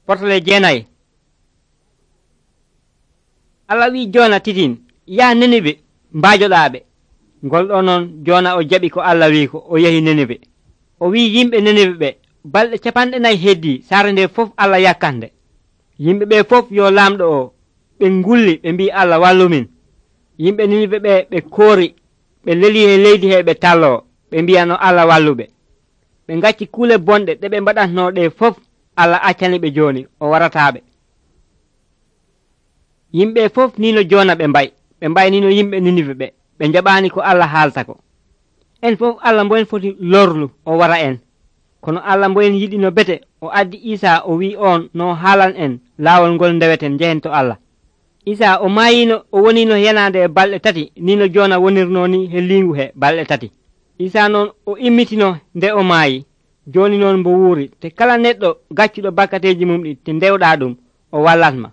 Portale jeenayi. Allah wi Joona titin yaa Ninibe mbaajoɗaaɓe. Ngol ɗo noon Joona o jaɓi ko Allah wi ko o yahi Ninibe. O wi yimɓe Ninibe ɓe balɗe 40 heddii saare nde fof Allah yakkande. Yimɓe ɓe fof yo laamɗo o ɓe ngulli ɓe mbi Allah wallumin. Yimɓe Ninibe ɓe ɓe koori ɓe leli e leydi he ɓe talloo ɓe mbiyano Allah walluɓe. Ɓe ngacci kuule bonɗe ɗe ɓe mbaɗatno ɗe fof Allah accani ɓe jooni o warataɓe. Yimɓe fof nino Joona ɓe mbaynino yimɓe Ninibe ɓe ɓe jaɓaani ko Allah haalta ko. En fof Allah mboyen foti lorlu o wara en. Kono Allah mboyen yiɗi no bete o addi Isa o wi on no haalan en laawol ngol ndeweten njehen to Allah. Isa o maayino o wonino yanande e balɗe 3 nino Joona wonirno ni he liingu he balɗe 3. Isa noon o immitino nde o maayi. Jooni noon mbo wuuri te kala neɗɗo gaccuɗo bakkateeji mum ɗi te ndewɗa ɗum o wallatma.